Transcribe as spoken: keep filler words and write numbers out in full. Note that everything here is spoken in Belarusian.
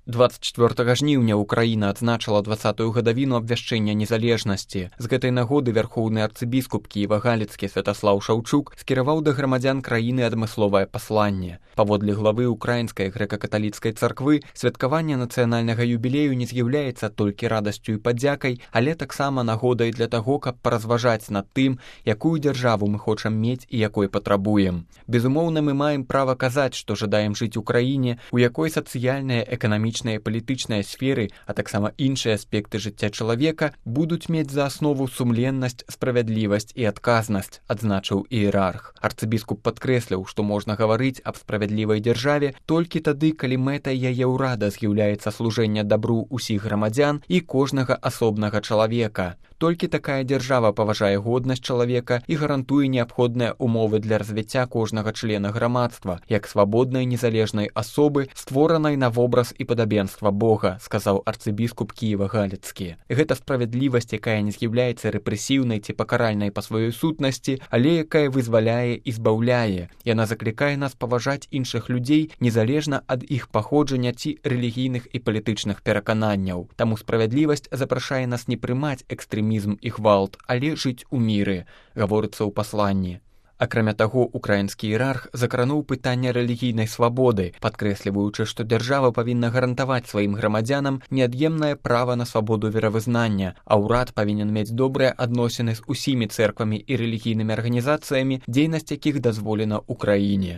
двадцать чвёртага жніўня Украіна адзначыла дваццатую гадавіну абвяшчэння незалежнасці. З гэтай нагоды вярхоўны арцыбіскуп Кіева-Галіцкі Святаслаў Шаўчук скіраваў да грамадзян краіны адмысловае пасланне. Паводле главы Украінскай грэка-каталіцкай царквы, святкаванне нацыянальнага юбілею не з'яўляецца толькі радасцю і падзякай, але таксама нагодай для таго, каб паразважаць над тым, якую дзяржаву мы хочам мець і якой патрабуем. Безумоўна, мы маем права казаць, што жадаем жыць у краіне, у якой сацыяльная, эканамічная і палітычныя сферы, а таксама іншыя аспекты жыцця чалавека будуць мець за аснову сумленнасць, справядлівасць і адказнасць, адзначыў іерарх. Арцыбіскуп падкрэсліў, што можна гаварыць аб справядлівай дзяржаве толькі тады, калі мэтай яе ўрада з'яўляецца служэнне дабру ўсіх грамадзян і кожнага асобнага чалавека. Толькі такая дзяржава паважае годнасць чалавека і гарантуе неабходныя умовы для развіцця кожнага члена грамадства, як свабоднай незалежнай асобы, створанай на вобраз і падабенства Бога, сказаў арцыбіскуп Кіева-Галіцкі. Гэта справядлівасць, якая не з'яўляецца рэпрэсіўнай ці пакаральнай па сваёй сутнасці, але якая вызваляе і збаўляе. Яна заклікае нас паважаць іншых людзей незалежна ад іх паходжання ці рэлігійных і палітычных перакананняў. Таму справядлівасць запрашае нас не прымаць экстрэмізм і гвалт, але жыць у міры, гаворыцца ў пасланні. Акрамя таго, украінскі іерарх закрануў пытанне рэлігійнай свабоды, падкрэсліваючы, што дзяржава павінна гарантаваць сваім грамадзянам неад'емнае права на свабоду веравызнання, а ўрад павінен мець добрыя адносіны з усімі цэрквамі і рэлігійнымі арганізацыямі, дзейнасць якіх дазволена ў краіне.